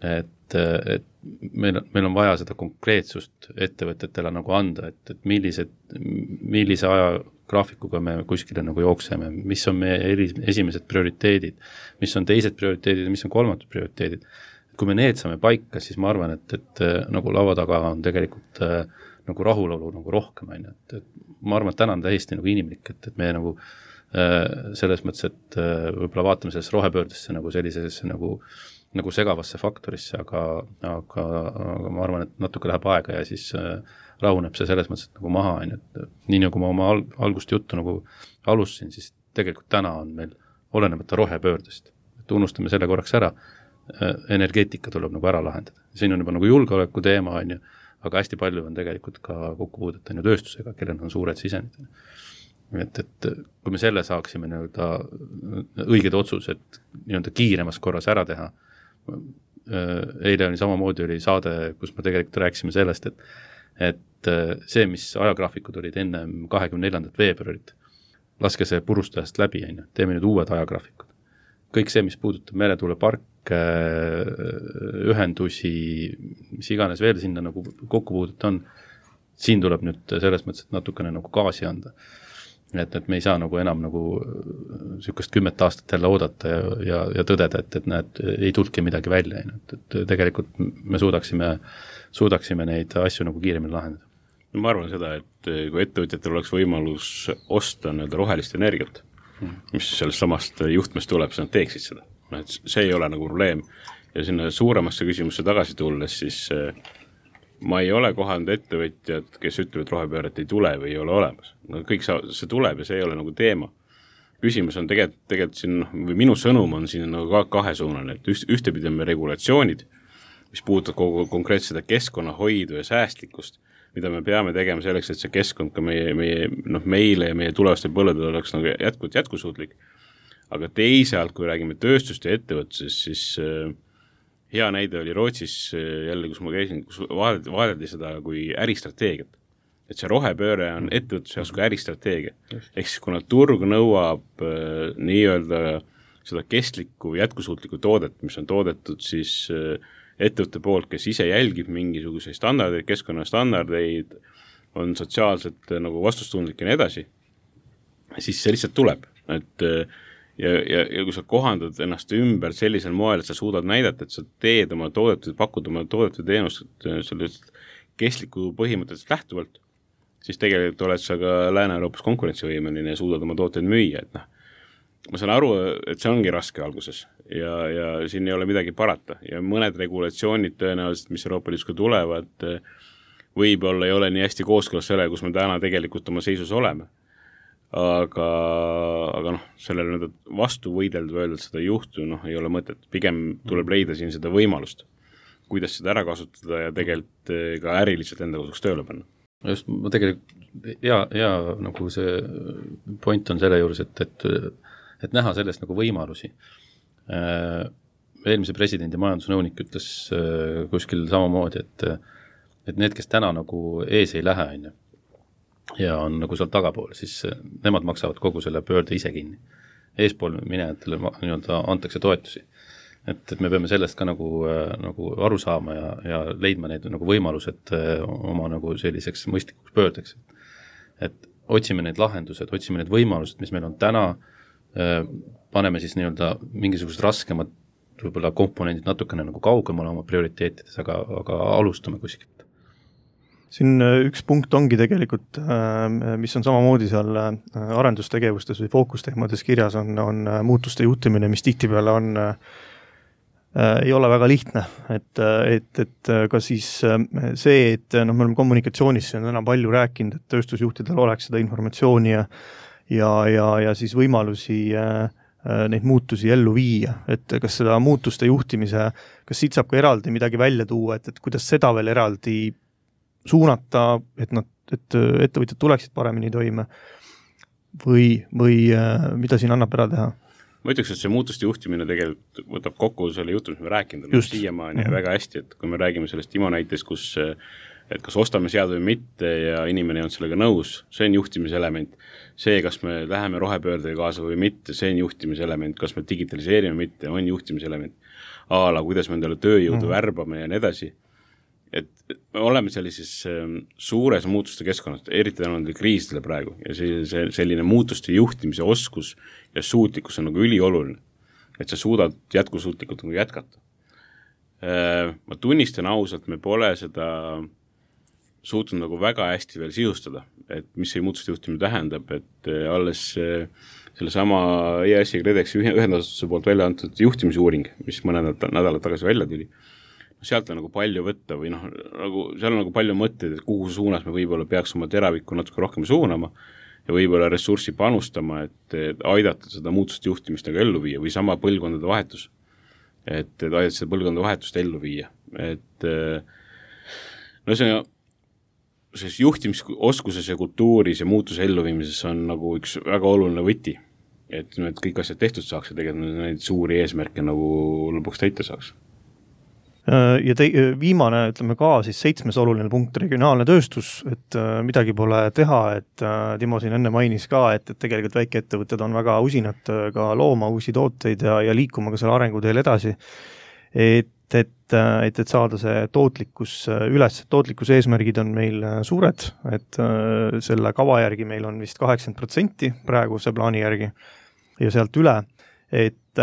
et, et meil, meil on vaja seda konkreetsust ettevõtetele nagu anda, et, et millised, millise aja graafikuga me kuskile nagu jookseme, mis on meie esimesed prioriteedid, mis on teised prioriteedid ja mis on kolmatud prioriteedid. Kui me need saame paika, siis ma arvan, et, et nagu laua taga on tegelikult äh, nagu rahulolu nagu rohkem, et, et ma arvan, et täna on täiesti nagu inimlik, et, et me nagu äh, selles mõttes, et äh, võib-olla vaatame sellesse rohepöördesse nagu sellisesse nagu, nagu segavasse faktorisse, aga, aga, aga ma arvan, et natuke läheb aega ja siis äh, rahuneb see selles mõttes, et nagu maha, et nii nagu ma oma al- algust juttu nagu alustasin, siis tegelikult täna on meil olenemata rohepöördest, et unustame selle korraks ära, energeetika tuleb nagu ära lahendada. Siin on juba nagu julgeoleku teema, on ju, aga hästi palju on tegelikult ka kokkupuudet on ju tööstusega, kellel on suured sisendid. Et, et kui me selle saaksime nii-öelda õiged otsused nii-öelda kiiremas korras ära teha, eile oli samamoodi oli saade, kus me tegelikult rääkisime sellest, et, et see, mis ajagraafikud olid enne kahekümne neljandat veebruarit, laske see purustajast läbi, on ju, teeme nüüd uued ajagraafikud. Kõik see, mis puudutab meretuulepark, ühendusi, mis iganes veel sinna nagu kokkupuudet on, siin tuleb nüüd selles mõttes, et natukene nagu gaasi anda. Et, et me ei saa nagu enam nagu sükest kümmet aastat jälle oodata ja, ja, ja tõdeda, et, et näed, ei tulki midagi välja. Et, et tegelikult me suudaksime, suudaksime neid asju nagu kiiremini lahendada. No ma arvan seda, et kui ettevõtjatel oleks võimalus osta nii-öelda rohelist energiat, mis sellest samast juhtmest tuleb, siis nad teeksid seda. Et see ei ole nagu probleem. Ja sinna suuremasse küsimusse tagasi tulles, siis ma ei ole kohanud ettevõtjad, kes ütlevad, et rohepööret ei tule või ei ole olemas. No kõik see tuleb ja see ei ole nagu teema. Küsimus on tegelikult, tegelikult siin, või minu sõnum on siin nagu kahesuunane, et üht, ühtepidi on me regulatsioonid, mis puudutab kogu konkreetselt seda keskkonnahoidu ja säästlikkust, mida me peame tegema selleks, et see keskkond ka meie, meie, noh, meile ja meie tulevaste põlvedel oleks nagu jätkuvalt jätkusuutlik. Aga teisalt, kui räägime tööstust ja ettevõtses, siis äh, hea näide oli Rootsis äh, jälle, kus ma käisin, kus vaadeldi seda kui äristrateegiat. Et see rohepööre on ettevõtluse jaoks kui äristrateegia. Ehk siis kuna turg nõuab äh, nii-öelda seda kestlikku jätkusuutlikku toodet, mis on toodetud siis äh, ettevõtte poolt, kes ise jälgib mingisuguseid standardeid, keskkonnastandardeid, on sotsiaalselt nagu vastustundlik ja nii edasi, siis see lihtsalt tuleb. Et, ja, ja, ja kui sa kohandad ennast ümber sellisel moel, et sa suudad näidata, et sa teed oma toodetud, pakud oma toodetud teenust sellest kestliku põhimõtteliselt lähtuvalt, siis tegelikult oled sa ka Lääne-Euroopas konkurentsivõimeline ja suudad oma tooteid müüa. Et noh, ma saan aru, et see ongi raske alguses ja, ja siin ei ole midagi parata ja mõned regulatsioonid tõenäoliselt, mis Euroopa Liidus ka tulevad, võib-olla ei ole nii hästi kooskõlas selle, kus me täna tegelikult oma seisus oleme. Aga, aga noh, sellele vastu võidelda või öelda, et seda ei juhtu, noh, ei ole mõtet. Pigem tuleb leida siin seda võimalust, kuidas seda ära kasutada ja tegelikult ka äriliselt enda kasuks tööle panna. Just, ma tegelikult hea, hea nagu see point on selle juures, et, et, et näha sellest nagu võimalusi. Eelmise presidendi majandusnõunik ütles kuskil samamoodi, et, et need, kes täna nagu ees ei lähe, on ju, ja on nagu seal tagapool, siis nemad maksavad kogu selle pöörde ise kinni. Eespool minejatele nii-öelda antakse toetusi. Et, et me peame sellest ka nagu, nagu aru saama ja, ja leidma neid nagu võimalused oma nagu selliseks mõistlikuks pöördeks. Et otsime neid lahendused, otsime need võimalused, mis meil on täna, paneme siis nii-öelda mingisugused raskemad võib-olla komponendid natukene nagu kaugemale oma prioriteetides, aga, aga alustame kuskilt. Siin üks punkt ongi tegelikult, mis on samamoodi seal arendustegevustes või fookusteemades kirjas, on, on muutuste juhtimine, mis tihtipeale on ei ole väga lihtne, et, et, et ka siis see, et noh, me oleme kommunikatsioonis täna palju rääkinud, et tööstusjuhtidel oleks seda informatsiooni ja, ja, ja, ja siis võimalusi neid muutusi ellu viia, et kas seda muutuste juhtimise, kas siit saab ka eraldi midagi välja tuua, et, et kuidas seda veel eraldi suunata, et nad, et ettevõtjad tuleksid paremini toime või, või mida siin annab ära teha? Ma ütleks, et see muutuste juhtimine tegelikult võtab kokku selle jutu, mis me rääkinud oleme siiamaani mm-hmm. väga hästi, et kui me räägime sellest Imo näitest, kus et kas ostame sead või mitte ja inimene ei olnud sellega nõus, see on juhtimise element. See, kas me läheme rohepöördega kaasa või mitte, see on juhtimise element. Kas me digitaliseerime mitte, on juhtimise element. Aala, kuidas me endale tööjõudu mm. värbame ja nii edasi. Et me oleme sellises suures muutuste keskkonnas, eriti tänu nendele kriisidele praegu ja see, see, selline muutuste juhtimise oskus ja suutlikkus on nagu ülioluline, et sa suudad jätkusuutlikult nagu jätkata. Ma tunnistan ausalt, me pole seda suutnud nagu väga hästi veel sisustada, et mis see muutuste juhtimine tähendab, et alles selle sama E A S I KredExi ühendasutuse poolt välja antud juhtimisuuring, mis mõned nädalad tagasi välja tuli, sealt on nagu palju võtta või noh, nagu, seal on nagu palju mõtteid, et kuhu suunas me võib-olla peaks oma teravikku natuke rohkem suunama ja võib-olla ressurssi panustama, et, et aidata seda muutuste juhtimist nagu ellu viia või sama põlvkondade vahetus, et, et aidata seda põlvkondade vahetust ellu viia, et no see on selles juhtimisoskuses ja kultuuris ja muutuse elluviimises on nagu üks väga oluline võti, et, et kõik asjad tehtud saaks ja tegelikult neid suuri eesmärke nagu lõpuks täita saaks. Ja te, viimane, ütleme ka siis seitsmes oluline punkt, regionaalne tööstus, et midagi pole teha, et Timo siin enne mainis ka, et, et tegelikult väikeettevõtted on väga usinad ka looma uusi tooteid ja, ja liikuma ka selle arenguteel edasi, et et, et, et saada see tootlikkus üles. Tootlikkuse eesmärgid on meil suured, et selle kava järgi meil on vist kaheksakümmend protsenti praeguse plaani järgi ja sealt üle, et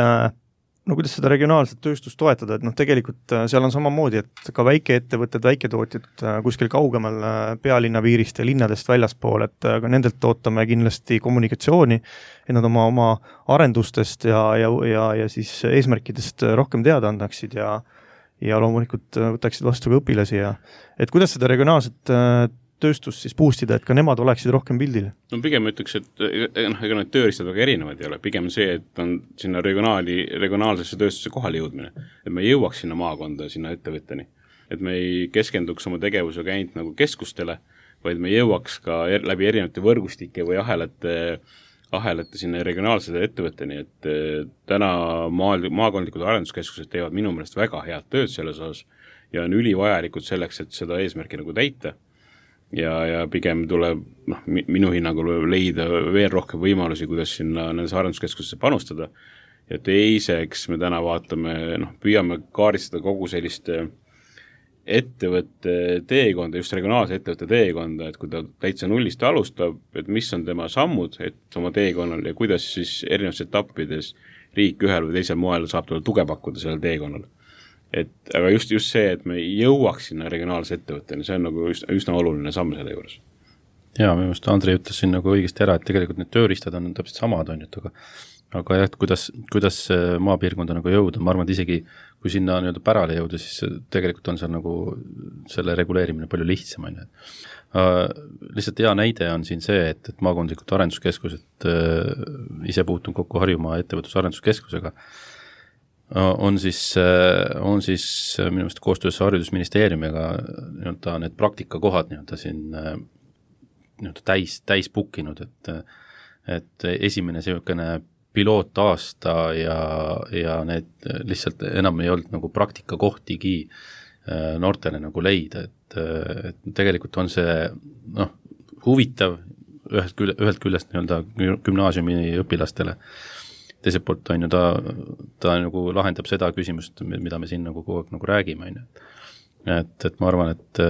no kuidas seda regionaalset tööstust toetada, et noh, tegelikult seal on samamoodi, et ka väikeettevõtted, väiketootjad kuskil kaugemal pealinna piirist ja linnadest väljaspool, et ka nendelt ootame kindlasti kommunikatsiooni, et nad oma, oma arendustest ja, ja, ja, ja siis eesmärkidest rohkem teada annaksid ja, ja loomulikult võtaksid vastu ka õpilasi ja et kuidas seda regionaalset tööstust siis boostida, et ka nemad oleksid rohkem pildil? No pigem ütleks, et noh, ega need tööriistad väga erinevad ei ole, pigem see, et on sinna regionaali, regionaalsesse tööstuse kohale jõudmine, et me jõuaks sinna maakonda, sinna ettevõtteni, et me ei keskenduks oma tegevusega ainult nagu keskustele, vaid me jõuaks ka er, läbi erinevate võrgustike või ahelate, ahelate sinna regionaalsete ettevõtteni, et täna maa, maakondlikud arenduskeskused teevad minu meelest väga head tööd selles osas ja on ülivajalikud selleks, et seda eesmärki nagu täita. Ja, ja pigem tuleb noh, minu hinnangul leida veel rohkem võimalusi, kuidas sinna nendes arenduskeskusesse panustada. Ja teiseks me täna vaatame, noh, püüame kaaristada kogu sellist ettevõtte teekonda, just regionaalse ettevõtte teekonda, et kui ta täitsa nullist alustab, et mis on tema sammud, et oma teekonnal ja kuidas siis erinevates etappides riik ühel või teisel moel saab talle tuge pakkuda sellel teekonnal. Et, aga just, just see, et me jõuaks sinna regionaalse ettevõtteni, see on nagu üsna, üsna oluline samm selle juures. Jaa, minu meelest Andrei ütles siin nagu õigesti ära, et tegelikult need tööriistad on täpselt samad, on nüüd, aga aga jah, et kuidas, kuidas maapiirkonda nagu jõuda, ma arvan, et isegi kui sinna nii-öelda pärale jõuda, siis tegelikult on seal nagu selle reguleerimine palju lihtsam, on ju. Uh, lihtsalt hea näide on siin see, et, et maakondlikud arenduskeskused uh, ise puutun kokku Harjumaa ettevõtlusarenduskeskusega on siis, on siis minu meelest koostöös haridusministeeriumiga nii-öelda need praktikakohad nii-öelda siin nii-öelda täis, täis bookinud, et, et esimene selline pilootaasta ja, ja need lihtsalt enam ei olnud nagu praktikakohtigi noortele nagu leida, et, et tegelikult on see noh, huvitav ühest küll, ühelt küljest nii-öelda gümnaasiumi õpilastele, teiselt poolt on ju ta, ta nagu lahendab seda küsimust, mida me siin nagu kogu aeg nagu räägime, on ju. Et, et ma arvan, et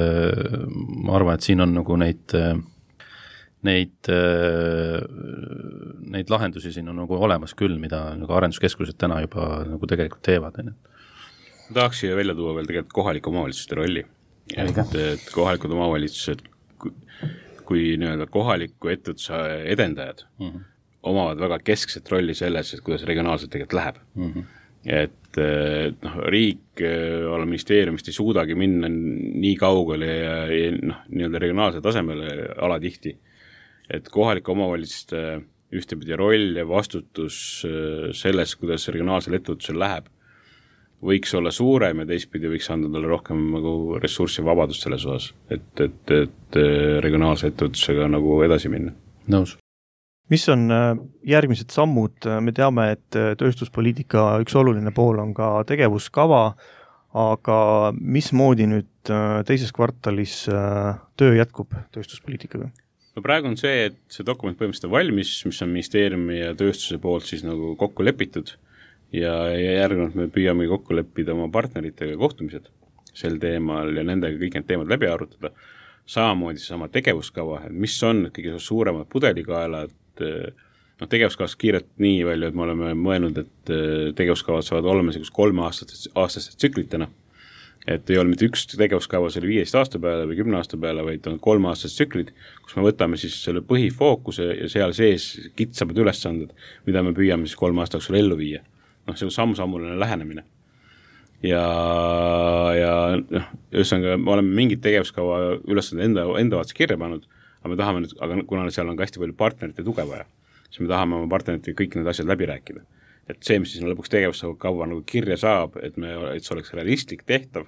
ma arvan, et siin on nagu neid neid neid lahendusi siin on nagu olemas küll, mida nagu arenduskeskused täna juba nagu tegelikult teevad, on ju. Tahaks siia välja tuua veel tegelikult kohalike omavalitsuste rolli. Et, et kohalikud omavalitsused, kui, kui nii-öelda kohaliku ettevõtluse edendajad mm-hmm. omavad väga keskset rolli selles, et kuidas regionaalselt tegelikult läheb. Mm-hmm. et noh, riik olla ministeeriumist ei suudagi minna nii kaugele ja, ja noh, nii-öelda regionaalse tasemele alatihti, et kohalike omavalitsuste ühtepidi roll ja vastutus selles, kuidas regionaalsel ettevõtlusel läheb, võiks olla suurem ja teistpidi võiks anda talle rohkem nagu ressurssi vabadust selles osas, et, et, et regionaalse ettevõtlusega nagu edasi minna. Nõus. Mis on järgmised sammud? Me teame, et tööstuspoliitika üks oluline pool on ka tegevuskava, aga mismoodi nüüd teises kvartalis töö jätkub tööstuspoliitikaga? No praegu on see, et see dokument põhimõtteliselt on valmis, mis on ministeeriumi ja tööstuse poolt siis nagu kokku lepitud ja, ja järgnevalt me püüame kokku leppida oma partneritega kohtumised sel teemal ja nendega kõik need teemad läbi arutada. Samamoodi see sama tegevuskava, et mis on kõige suuremad pudelikaelad, no tegevuskavas kiirelt nii palju, et me oleme mõelnud, et tegevuskavad saavad olema selgus kolme aastaste, aastaste tsüklitena, et ei ole mitte üks tegevuskava selle viieteist aasta peale või kümne aasta peale, vaid on kolme aastased tsüklid, kus me võtame siis selle põhifookuse ja seal sees kitsamad ülesanded, mida me püüame siis kolme aasta jooksul ellu viia. Noh, see on samm-sammuline lähenemine. Ja, ja noh, ühesõnaga, me oleme mingid tegevuskava ülesanded enda, enda vaates kirja pannud, aga me tahame nüüd, aga kuna seal on ka hästi palju partnerite tuge vaja, siis me tahame oma partneritega kõik need asjad läbi rääkida. Et see, mis siis lõpuks tegevuskava nagu kirja saab, et, me, et see oleks realistlik tehtav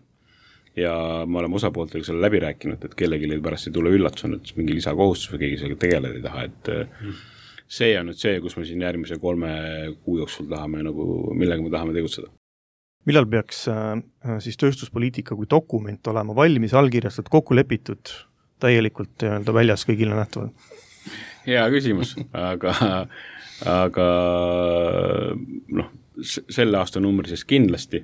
ja me oleme osapooltega selle läbi rääkinud, et kellegi pärast ei tule üllatus on, et mingi lisakohustus või keegi sellega tegeleda ei taha, et mm. see on nüüd see, kus me siin järgmise kolme kuu jooksul tahame nagu, millega me tahame tegutseda. Millal peaks äh, siis tööstuspoliitika kui dokument olema valmis, allkirjastatud, kokku lepitud, täielikult öelda väljas kõigile nähtavad? Hea küsimus, aga, aga noh, selle aasta numbri siis kindlasti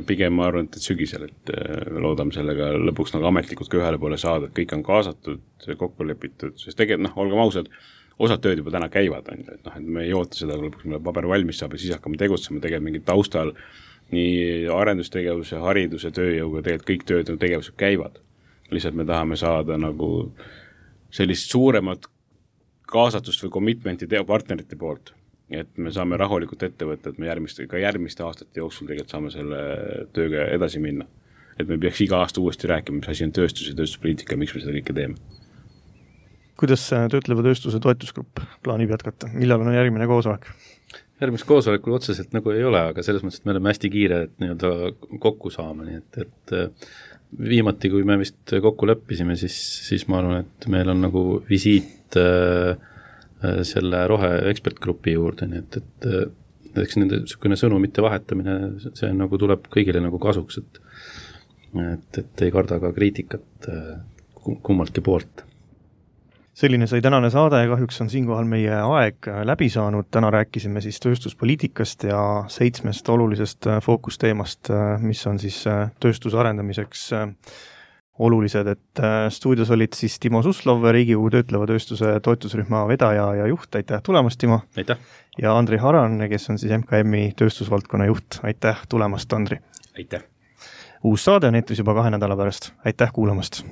pigem ma arvan, et sügisel, et loodame sellega lõpuks nagu ametlikult ka ühele poole saada, et kõik on kaasatud, kokku lepitud, sest tegelikult noh, olgem ausad, osad tööd juba täna käivad, on, et, noh, et me ei oota seda, lõpuks meil paber valmis saab ja siis hakkame tegutsema, tegelikult mingid taustal nii arendustegevuse, hariduse, tööjõuga, tegelikult kõik tööd ja tegevused käivad. Lihtsalt me tahame saada nagu sellist suuremat kaasatust või commitmenti partnerite poolt, et me saame rahulikult ette võtta, et me järgmiste, ka järgmiste aastate jooksul tegelikult saame selle tööga edasi minna. Et me peaks iga aasta uuesti rääkima, mis asi on tööstus ja tööstuspoliitika, miks me seda kõike teeme. Kuidas töötleva tööstuse toetusgrupp plaanib jätkata? Millal on järgmine koosolek? Järgmist koosolekul otseselt nagu ei ole, aga selles mõttes, et me oleme hästi kiire, et nii-öelda kokku saama, nii et, et viimati, kui me vist kokku leppisime, siis, siis ma arvan, et meil on nagu visiit äh, selle rohe ekspertgrupi juurde, nii et, et, et eks nende niisugune sõnumite vahetamine, see nagu tuleb kõigile nagu kasuks, et, et, et ei karda ka kriitikat kummaltki poolt. Selline sai tänane saade, kahjuks on siinkohal meie aeg läbi saanud. Täna rääkisime siis tööstuspoliitikast ja seitsmest olulisest fookusteemast, mis on siis tööstuse arendamiseks olulised. Et stuudios olid siis Timo Suslov, Riigikogu töötleva tööstuse toetusrühma vedaja ja juht. Aitäh tulemast, Timo! Aitäh! Ja Andri Haran, kes on siis M K M-i tööstusvaldkonna juht. Aitäh tulemast, Andri! Aitäh! Uus saade on eetris juba kahe nädala pärast. Aitäh kuulamast!